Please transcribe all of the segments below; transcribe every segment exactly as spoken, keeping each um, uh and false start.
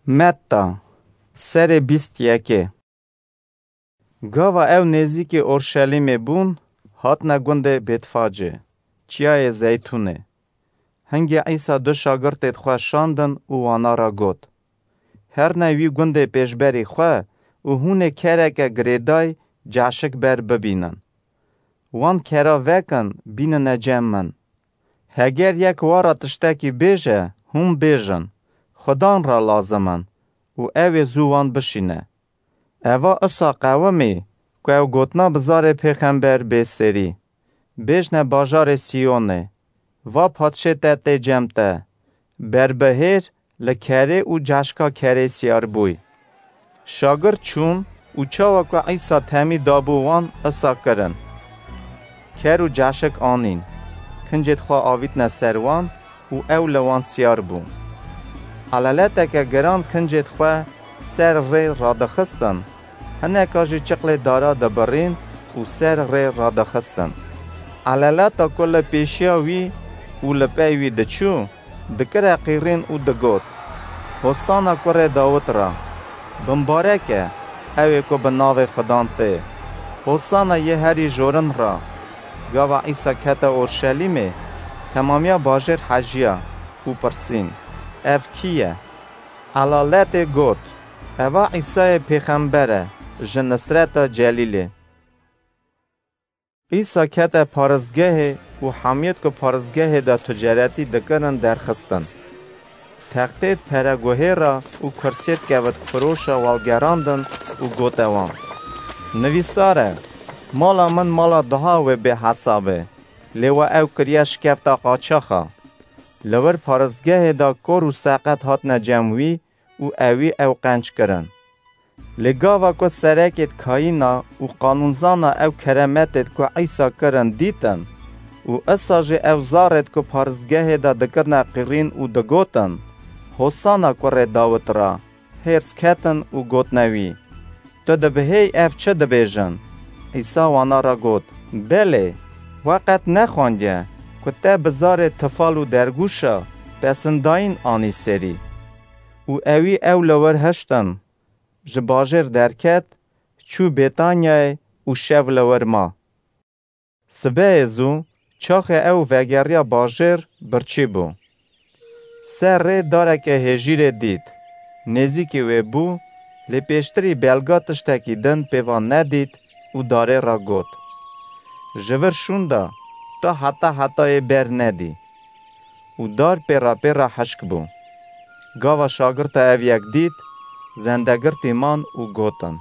Metta, serê bîst yekê. Gava ew nêzîkî Orşelîmê bûn, hatine gundê Bêtfacê, çiyayê Zeytûnê. Hingê Îsa du şagirtêd xwe şandin û wana ra got: Herne wî gundê pêşberî xwe û hûn ê kereke girêday caşik ber bibînin. Wan kera vekin, bînine cem min. Heger yek wa ra tiştekî bêje, hûn bêjin: Xudan ra lazim in û ew ê zû wan bişîne. Eva isa qewimî ku ew gotina bi zarê pêxember bê serî. Bêjne bajarê Siyonê: Va padşê te tê cem te, berbihêr, li kerê û caşka kerê siyar bûy. Şagirt çûn û çawa ku Îsa temî dabû wan, isa kirin. Ker û caşik anîn, kincêd xwe avîtne ser wan û ew li wan siyar bû. Eleleteke giran kincêd xwe ser rê radixistin, hineka jî çiqlê dara dibirîn û ser rê radixistin. Eleleta ku li pêşiya wî û li pey wî diçû, dikire qîrîn û digot: Hosana kurê Dawid ra! Bimbarek e ew ê ku bi navê Xudan tê! Hosana yê herî jorin ra! Gava Îsa kete Orşelîmê, temamiya bajêr hejiya û pirsîn: Ev kî ye? Elaletê got: Eva Îsayê pêxember e, ji Nisreta Celîlê. Îsa kete paristgehê û hemiyêd ku paristgehê de ticaretî dikirin derxistin. Textêd pereguhêra û kursiyêd kevitfiroşa welgerandin û gote wan: Nivîsar e, mala min mala duha wê bê hesabê, lê we ew kiriye şikefta qaçaxa. Li wir paristgehê de kor û seqet hatine cem wî û ewî ew qenc kirin. Lê gava ku serekêd kayîna û qanûnzana ew keremetêd ku Îsa kirin dîtin û isa jî ew zarêd ku paristgehê de dikirine qirîn û digotin: Hosana kurê Dawid ra! Hêrs ketin û gotine wî: Tu dibihêy ev çi dibêjin? Îsa wana ra got: Belê, we qet nexwandiye ku te bi zarê tifal û dergûşa pesindayîn anî serî? Û ewî ew li wir hiştin, ji bajêr derket, çû Bêtanyayê û şev li wir ma. Sibehê zû, çaxê ew vegeriya bajêr, birçî bû. Ser rê dareke hêjîrê dît. Nêzîkî wê bû, lê pêştirî belga tiştekî din pê van nedît û darê re got: Ji vir şûnda, ta heta hetayê ber nedî. Û dar pêra pêra hişk bû. Gava şagirta ev yek dît, zendegirtî man û gotin: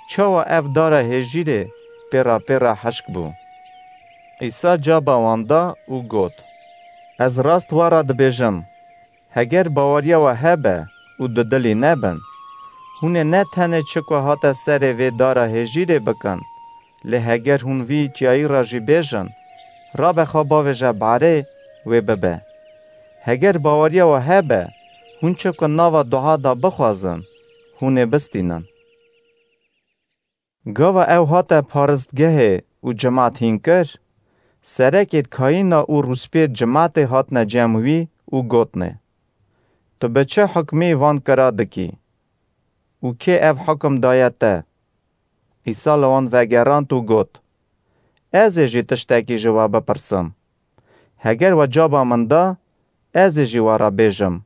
Çawa ev dara hêjîrê pêra pêra hişk bû? Îsa caba wan da û got: Ez rast we re dibêjim, heger baweriya we hebe û dudilî nebin, hûn ê ne tenê çi ku hate serê vê dara hêjîrê bikin, lê heger hûn vî çiyayî re jî bêjin: Rabe xwe bavêje barê, wê bibe. Heger baweriya we hebe, hûn çi ku nava duha de bixwazin, hûn ê bistînin. Gava ew hate paristgehê û cimat hîn kir, serekêd kayîna û rûspiyêd cimatê hatine cem wî û gotine: Tu bi çi hukmî van kira dikî? Û kê ev hukum daye te? Îsa li wan vegerand û got: Ez ê jî tiştekî ji we bipirsim. Heger we caba min da, ez ê jî we re bêjim,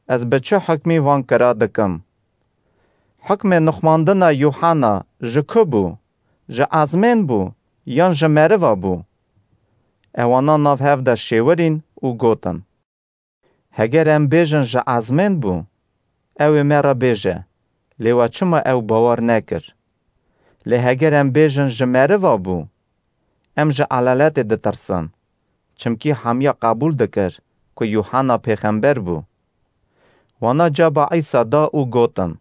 ez bi çi hukmî van kira dikim. Hukmê nixmandina Yûhena ji ku bû? Ji ezmên bû yan ji meriva bû? Ewana nav hev de şêwirîn û gotin: Heger em bêjin ji ezmên bû, ew ê me re bêje, lê we çima ew bawer nekir? Lê heger em bêjin ji meriva bû, em ji elaletê ditirsin, çimkî hemiya qebûl dikir ku Yûhena pêxember bû. Wana caba Îsa da û gotin: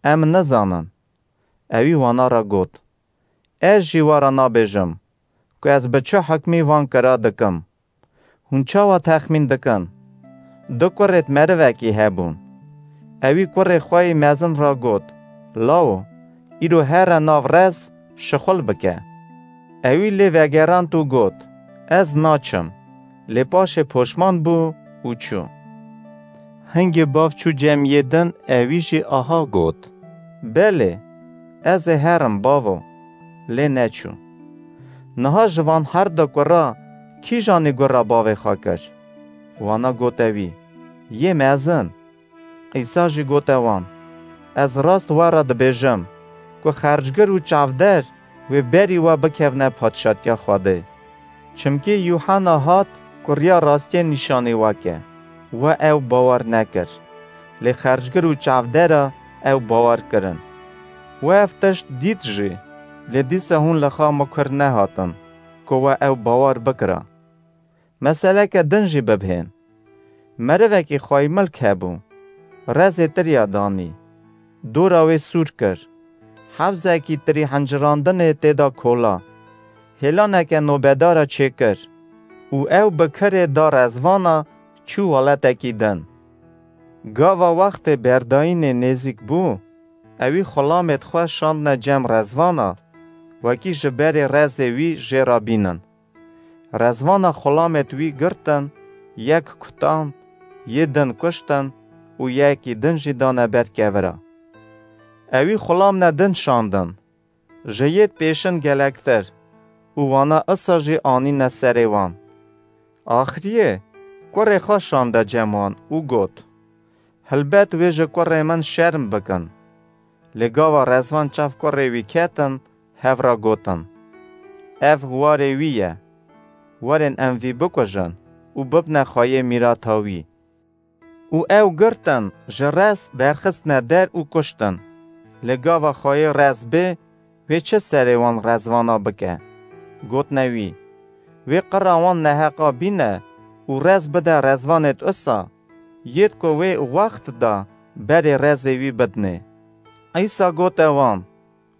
Em nizanin. Ewî wana re got: Ez jî we re nabêjim ku ez bi çi hukmî van kira dikim. Hûn çawa texmîn dikin? Du kurêd merivekî hebûn. Ewî kurê xwe yî mezin re got: Lawo, îro here nav rez, şixul bike. Ewî lê vegerand û got: Ez naçim. Lê paşê poşman bû û çû. Hingê bav çû cem yê din, ewî jî aha got: Belê, ez ê herim, bavo. Lê neçû. Niha ji van her du kura kîjanî gura bavê xwe kir? Wana gote wî: Yê mezin. Îsa jî gote wan: Ez rast we re dibêjim, ku xercgir û çavder wê berî we bikevne Padşatiya Xwedê. Çimkî Yuhanna hat ku riya rastiyê nîşanî we ke, we ew bawer nekir. Lê xercgir û çavdera ew bawer kirin. We ev tişt dît jî, lê dîsa hûn li xwe mukir nehatin, ku we ew bawer bikira. Meseleke din jî bibhên. Merivekî xwaymilk hebû. Rezê tiriya danî. Dora wê sûr kir. Hewzekî tirî hincirandinê tê de kola. Hêlaneke nobedara çêkir. Û ew bi kirê da rezvana çû welatekî din. Gava wextê berdayînê nêzîk bû, ewî xulamêd xwe şandne cem rezvana, wekî ji berê rezê wî jê re bînin. Rezvana xulamêd wî girtin, yek kutand, yê din kuştin û yekî din jî dane ber kevira. Ewî xulamne din şandin, ji yêd pêşin gelektir û wana isa jî anîne serê wan. Axiriyê kurê xwe şande cem wan û got: Hilbet wê ji kurê min şerm bikin. Lê gava rezvan çav kurê wî ketin, hev re gotin: Ev warê wî ye. Werin em vî bikujin û bibne xweyê mîrata wî. Û ew girtin, ji rez derxistine der û kuştin. Lê gava xweyê rez bê, wê çi serê wan rezvana bike? Gotine wî: Wê qira wan neheqa bîne û rez bide rezvanêd usa, yêd ku wê wext da berê rezê wî bidinê. Îsa gote wan: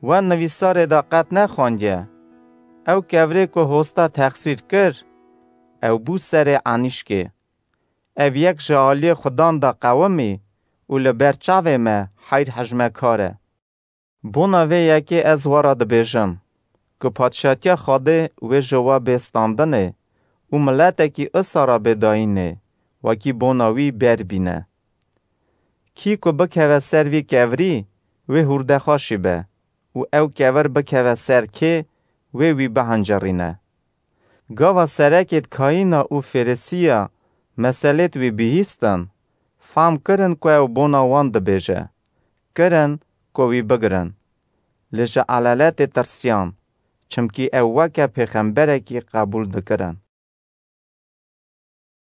We nivîsarê de qet nexwandiye: Ew kevirê ku hosta texsîr kir, ew bû serê enîşkê. Ev yek ji aliyê Xudan de qewimî û li ber çavê me heyr hejmekar e. Bona vê yekê ez we re dibêjim, ku Padşatiya Xwedê wê ji we bê standinê û miletekî usa re bê dayînê, wekî bona wî ber bîne. Kî ku bikeve ser vî kevirî, wê hûrdexweşî be û ew kevir bikeve ser kê, wê wî bihencerîne. Gava serekêd Kayîna û Fêrisiya meselêd wî bihîstin, fam kirin ku ew bona wan dibêje, kirin ku wî bigirin. Lê ji elaletê tirsiyan, çimkî ew weke pêxemberekî qebûl dikirin.